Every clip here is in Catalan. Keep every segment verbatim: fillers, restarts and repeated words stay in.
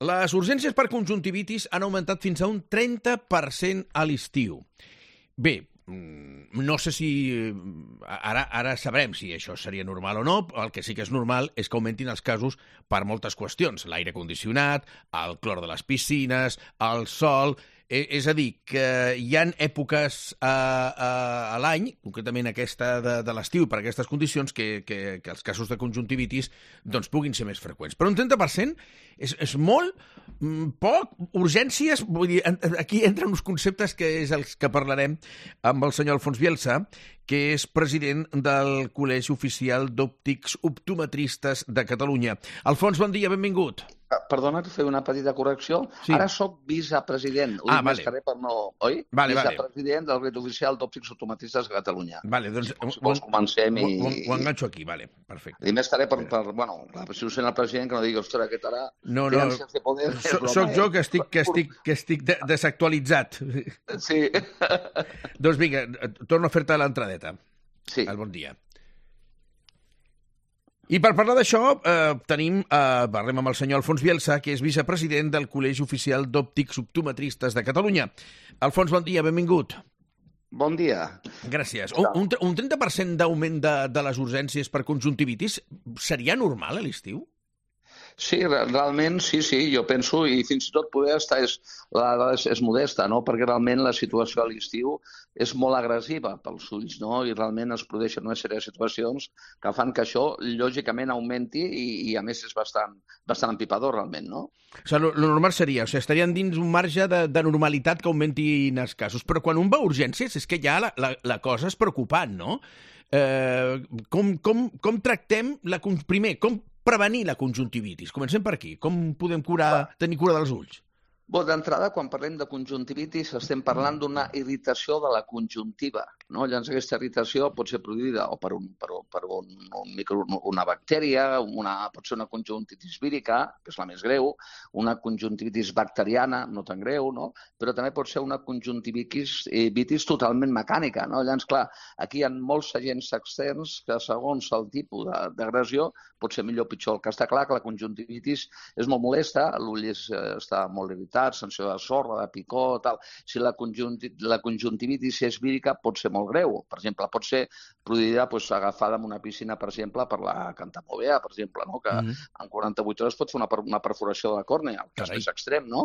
les urgències per conjuntivitis han augmentat fins a un trenta per cent a l'estiu. Bé, no sé si... Ara, ara sabrem si això seria normal o no. El que sí que és normal és que augmentin els casos per moltes qüestions. L'aire condicionat, el clor de les piscines, el sol... És a dir, que hi ha èpoques a, a, a l'any, concretament aquesta de, de l'estiu, per aquestes condicions, que, que, que els casos de conjuntivitis doncs, puguin ser més freqüents. Però un trenta per cent és, és molt, poc, urgències... Vull dir, aquí entren uns conceptes que és els que parlarem amb el senyor Alfons Bielsa, que és president del Col·legi Oficial d'Òptics Optometristes de Catalunya. Alfons, bon dia, benvingut. Perdona que fer una petita correcció. Sí. Ara soc vicepresident. Ho ah, dic vale. més carrer per no... Oi? Vale, vicepresident vale. del Col·legi Oficial d'Òptics Optometristes de Catalunya. Vale, doncs... Si vols comencem i... Ho, ho enganxo aquí, vale, perfecte. I més carrer per... per bueno, si ho sent el president, que no digui, ostres, aquest ara... No, no, so, soc jo que estic, que estic, que estic de, desactualitzat. Sí. Doncs vinga, torno a fer-te l'entradeta. Sí. El bon dia. I per parlar d'això, eh, tenim, eh, parlem amb el senyor Alfons Bielsa, que és vicepresident del Col·legi Oficial d'Òptics Optometristes de Catalunya. Alfons, bon dia, benvingut. Bon dia. Gràcies. Un, un, un trenta per cent d'augment de, de les urgències per conjuntivitis seria normal a l'estiu? Sí, realment sí, sí, jo penso, i fins i tot poder estar és, la dada és, és modesta, no? Perquè realment la situació a l'estiu és molt agressiva pels ulls, no? I realment es produeixen una sèrie de situacions que fan que això, lògicament, augmenti i, i a més, és bastant, bastant empipador, realment, no? O sigui, el normal seria, o sigui, estarien dins un marge de, de normalitat que augmentin els casos, però quan un va a urgències és que ja la, la, la cosa és preocupant, no? Eh, com, com, com tractem, la, primer, com prevenir la conjuntivitis? Comencem per aquí. Com podem curar, tenir cura dels ulls? Bé, d'entrada, quan parlem de conjuntivitis, estem parlant d'una irritació de la conjuntiva, no? Llavors, aquesta irritació pot ser produïda o per, un, per, per un, un micro, una bactèria, una, pot ser una conjuntivitis vírica, que és la més greu, una conjuntivitis bacteriana, no tan greu, no? Però també pot ser una conjuntivitis eh, vitis totalment mecànica, no? Llavors, clar, aquí hi ha molts agents externs que, segons el tipus d'agressió, pot ser millor o pitjor. El que està clar que la conjuntivitis és molt molesta, l'ull és, està molt irritat, sensació de sorra, de picor, tal. Si la, conjunti, la conjuntivitis és vírica, pot ser molt greu. Per exemple, pot ser produïda pues, agafada en una piscina, per exemple, per la cantamovea, per exemple, no? Que mm-hmm. en quaranta-vuit hores pot fer una, una perforació de la còrnea, el cas més extrem, no?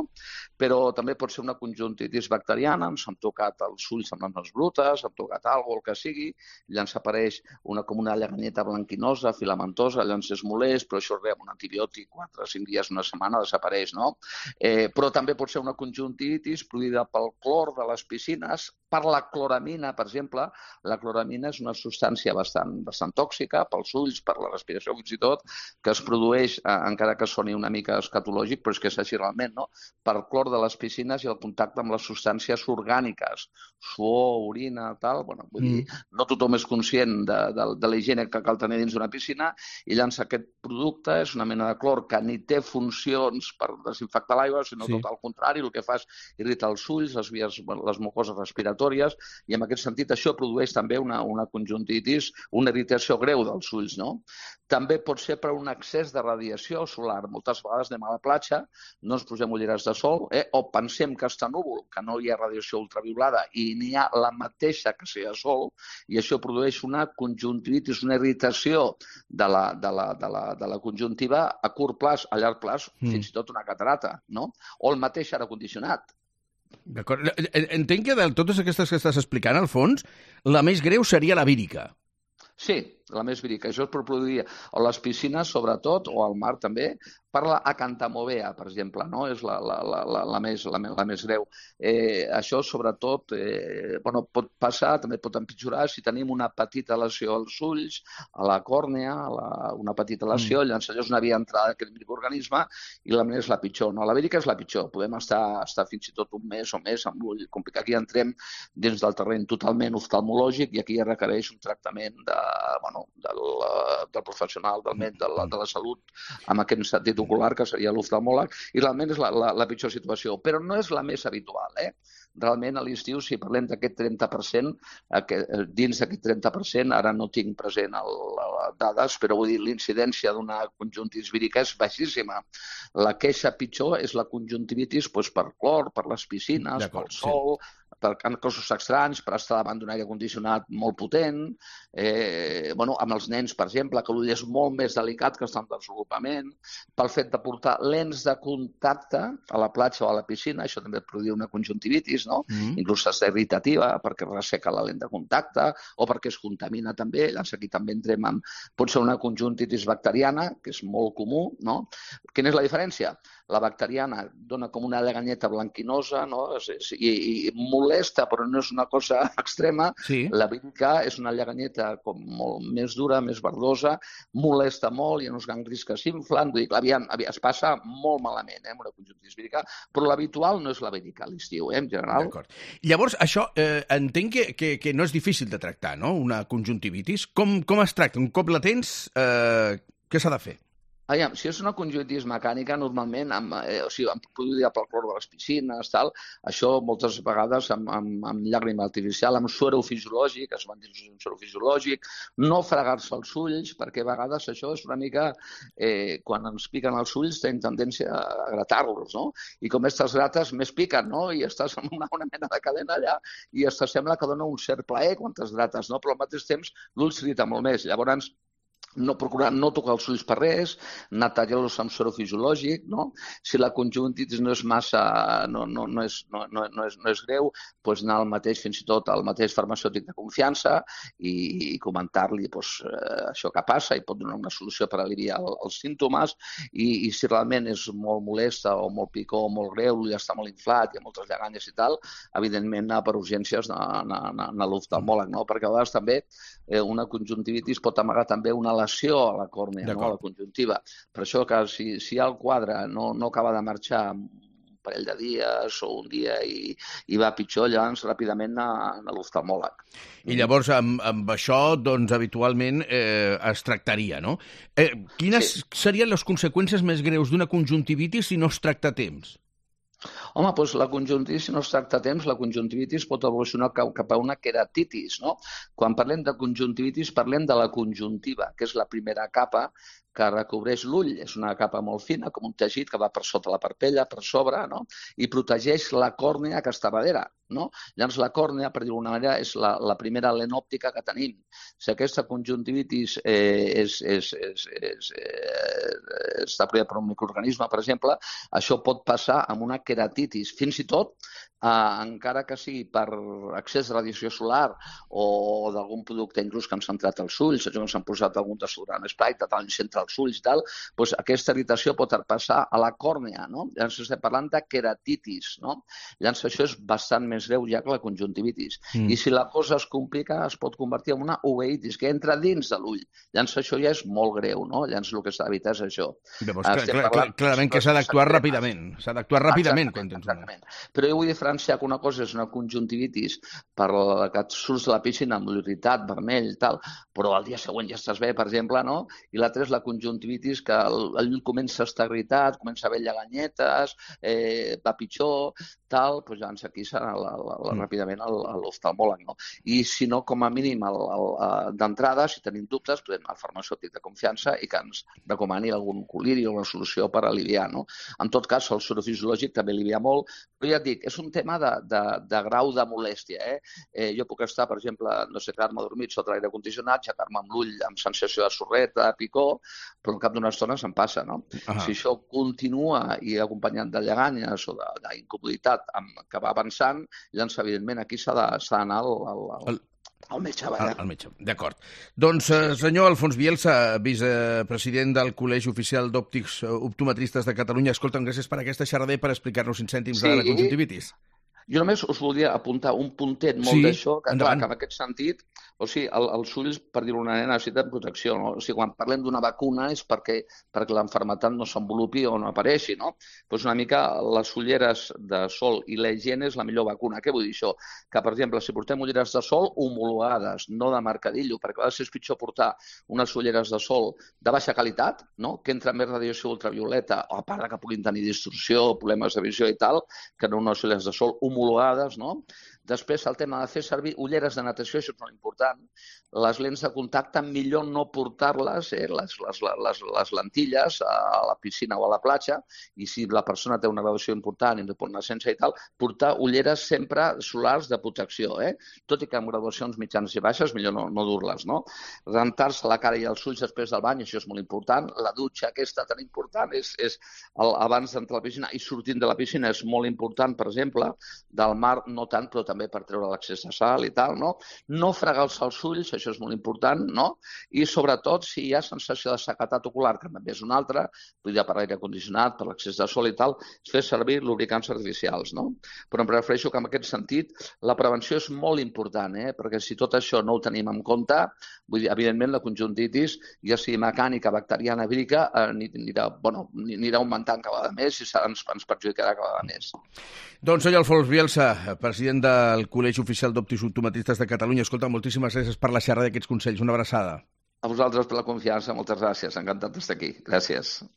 Però també pot ser una conjuntivitis bacteriana, ens han tocat els ulls amb les mans brutes, han tocat alguna cosa, el que sigui, llavors apareix una, com una lleganyeta blanquinosa, filamentosa, llavors és molest, però això res, un antibiòtic, quatre o cinc dies, una setmana, desapareix, no? Eh, però també pot ser una conjuntivitis produïda pel clor de les piscines, per la cloramina, per exemple. La cloramina és una substància bastant, bastant tòxica pels ulls, per la respiració fins i tot, que es produeix, eh, encara que soni una mica escatològic, però és que és així realment, no? Per clor de les piscines i el contacte amb les substàncies orgàniques, suor, orina, tal. Bueno, vull dir, no tothom és conscient de, de, de la higiene que cal tenir dins d'una piscina i llavors aquest producte és una mena de clor que ni té funcions per desinfectar l'aigua, sinó sí. Tot al contrari, el que fa és irritar els ulls, les vies, les mucoses respiratòries, i en aquest sentit això produeix també una, una conjuntivitis, una irritació greu dels ulls, no? També pot ser per un excés de radiació solar. Moltes vegades anem a la platja, no ens posem ulleres de sol, eh? O pensem que està núvol, que no hi ha radiació ultraviolada i n'hi ha la mateixa que si hi ha sol, i això produeix una conjuntivitis, una irritació de la, de la, de la, de la conjuntiva a curt plaç, a llarg plaç, mm. fins i tot una catarata, no? O el mateix aire condicionat. D'acord. Entenc que de totes aquestes que estàs explicant, al fons, la més greu seria la vírica. Sí, la més vírica. Això es pot produir a les piscines, sobretot, o al mar també, per la acantamovea, per exemple, no? És la, la, la, la, la, més, la, la més greu. Eh, això, sobretot, eh, bueno, pot passar, també pot empitjorar si tenim una petita lesió als ulls, a la còrnea, a la, una petita lesió, mm. llavors allò és una via d'entrada d'aquest microorganisme i la més és la pitjor. No? La vírica és la pitjor. Podem estar, estar fins i tot un mes o més amb l'ull complicat. Aquí entrem dins del terreny totalment oftalmològic i aquí ja requereix un tractament de, bueno, no? del, del professional, del metge, de la, de la salut, amb aquest sentit ocular, que seria l'oftalmòleg, i realment és la, la, la pitjor situació. Però no és la més habitual, eh? Realment a l'estiu, si parlem d'aquest trenta per cent, dins d'aquest trenta per cent, ara no tinc present les dades, però vull dir, l'incidència d'una conjuntivitis vírica és baixíssima. La queixa pitjor és la conjuntivitis doncs, per clor, per les piscines, pel sol, sí. per cossos estranys, per estar davant d'un aire condicionat molt potent, eh, bueno, amb els nens, per exemple, que l'ull és molt més delicat que està en desenvolupament, pel fet de portar lents de contacte a la platja o a la piscina, això també produeix una conjuntivitis, no? Mm. Inclús és irritativa perquè resseca la lent de contacte o perquè es contamina també. Llavors aquí també entrem en... Pot ser una conjuntivitis bacteriana, que és molt comú, no? Quina és la diferència? La bacteriana dona com una lleganyeta blanquinosa, no? I, i molesta, però no és una cosa extrema. Sí. La vírica és una lleganyeta com molt més dura, més verdosa, molesta molt, hi ha uns ganglis que s'inflen, vull dir, aviam, aviam, es passa molt malament, eh, amb una conjuntivitis vírica, però l'habitual no és la vírica a l'estiu, eh, en general. D'acord. Llavors, això eh, entenc que, que, que no és difícil de tractar, no?, una conjuntivitis. Com, com es tracta? Un cop la tens, eh, què s'ha de fer? Aviam, si és una conjuntivitis mecànica, normalment, amb, eh, o sigui, amb produïda pel clor de les piscines, tal, això moltes vegades amb, amb, amb llàgrima artificial, amb suero fisiològic, es van dir un suero fisiològic, no fregar-se els ulls, perquè a vegades això és una mica, eh, quan ens piquen els ulls, tenen tendència a gratar-los, no? I com aquestes grates més piquen, no? I estàs amb una, una mena de cadena allà i es sembla que dona un cert plaer quan te's grates, no? Però al mateix temps l'ull s'irrita molt més. Llavors, no procurar no tocar els ulls per res, netejar-los amb suero fisiològic, no? Si la conjuntivitis no és massa, no, no, no, és, no, no, no, és, no és greu, doncs anar al mateix, fins i tot al mateix farmacèutic de confiança i, i comentar-li doncs, eh, això que passa i pot donar una solució per aliviar el, els símptomes i, i si realment és molt molesta o molt picor o molt greu, l'ull està molt inflat, hi ha moltes lleganyes i tal, evidentment anar per urgències a l'oftalmòleg, no? Perquè a vegades també eh, una conjuntivitis pot amagar també una lesió a la còrnea, no? A la conjuntiva. Per això que si, si el quadre no, no acaba de marxar un parell de dies o un dia i, i va pitjor, llavors ràpidament a, a l'oftalmòleg. I llavors amb, amb això, doncs, habitualment eh, es tractaria, no? Eh, quines sí. serien les conseqüències més greus d'una conjuntivitis si no es tracta a temps? Home, doncs la conjuntivitis, si no es tracta a temps, la conjuntivitis pot evolucionar cap a una queratitis, no? Quan parlem de conjuntivitis, parlem de la conjuntiva, que és la primera capa que recobreix l'ull. És una capa molt fina, com un teixit que va per sota la parpella, per sobre, no? I protegeix la còrnea que està darrere, no? Llavors la còrnea, per dir-ho d'alguna manera, és la, la primera lent òptica que tenim. Si aquesta conjuntivitis eh, és, és, és, és, eh, està produïda per un microorganisme, per exemple, això pot passar amb una queratitis. Fins i tot, eh, encara que sigui per excés de radiació solar o d'algun producte inclús que han centrat els ulls, que s'han posat algun desodorant spray, tal, centra els ulls i tal, doncs aquesta irritació pot passar a la còrnea, no? Llavors estem parlant de queratitis, no? Llavors això és bastant més greu ja que la conjuntivitis. Mm. I si la cosa es complica, es pot convertir en una uveitis, que entra dins de l'ull. Llavors això ja és molt greu, no? Llavors el que s'ha d'evitar és això. Llavors, clar, clar, clar, clarament que s'ha d'actuar ràpidament. S'ha d'actuar ràpidament quan tens una. Però jo vull diferenciar que una cosa és una conjuntivitis per la que surts de la piscina amb l'ull irritat, vermell, tal, però al dia següent ja estàs bé, per exemple, no? I l'altra és la conjuntivitis que el, el llum comença a estar irritat, comença a haver lleganyetes, eh, va pitjor, tal, doncs llavors aquí serà la, la, la, mm. ràpidament l'oftalmòleg, no? I si no, com a mínim, d'entrada, si tenim dubtes, podem anar al farmacèutic de confiança i que ens recomani algun coliri o una solució per aliviar, no? En tot cas, el suero fisiològic també alivia molt, però ja et dic, és un tema de, de, de grau de molèstia, eh? eh? Jo puc estar, per exemple, no sé, quedar-me dormit sota l'aire condicionat, aixecar-me amb l'ull amb sensació de sorreta, de picor, però al cap d'una estona se'n passa, no? Ah. Si això continua i acompanyat de lleganyes o d'incomoditat que va avançant, llavors, evidentment, aquí s'ha d'anar al, al, al, al metge. Al, al metge, d'acord. Doncs, eh, senyor Alfons Bielsa, vicepresident del Col·legi Oficial d'Òptics Optometristes de Catalunya, escolta'm, gràcies per aquesta xerrada i per explicar-nos cinc cèntims sí. de la conjuntivitis. Jo només us volia apuntar un puntet molt Sí, d'això, que clar, endavant. que en aquest sentit, o sigui, el, els ulls, per dir-ho d'una manera, necessiten protecció, no? O sigui, quan parlem d'una vacuna és perquè, perquè l'enfermetat no s'envolupi o no apareixi, no? Doncs una mica les ulleres de sol i la higiene és la millor vacuna. Què vull dir això? Que, per exemple, si portem ulleres de sol homologades, no de marcadillo, perquè a vegades és pitjor portar unes ulleres de sol de baixa qualitat, no? Que entra més radiació ultravioleta, o a part de que puguin tenir distorsió, problemes de visió i tal, que no unes ulleres de sol homologades, no? Després, el tema de fer servir ulleres de natació, això és molt important. Les lents de contacte, millor no portar-les, eh, les, les, les, les lentilles, a la piscina o a la platja, i si la persona té una graduació important i no pot anar sense i tal, portar ulleres sempre solars de protecció, eh? Tot i que amb graduacions mitjanes i baixes, millor no, no dur-les, no? Rentar-se la cara i els ulls després del bany, això és molt important. La dutxa aquesta tan important és, és el, abans d'entrar a la piscina i sortint de la piscina és molt important, per exemple, del mar no tant, però també per treure l'accés de sal i tal, no? No fregar-se els ulls, això és molt important, no? I sobretot, si hi ha sensació de sequedat ocular, que també és una altra, vull dir, per l'aire condicionat, per l'accés de sol i tal, fer servir lubricants artificials, no? Però em prefereixo que en aquest sentit la prevenció és molt important, eh? Perquè si tot això no ho tenim en compte, vull dir, evidentment la conjuntitis, ja sigui mecànica, bacteriana, vírica, eh, anirà, bueno, anirà augmentant cada vegada més i ens, ens perjudicarà cada vegada més. Doncs senyor Alfons Bielsa, president del Col·legi Oficial d'Optooptometristes de Catalunya. Escolta, moltíssimes gràcies per la xerrada d'aquests consells. Una abraçada. A vosaltres per la confiança, moltes gràcies. Encantat d'estar aquí. Gràcies.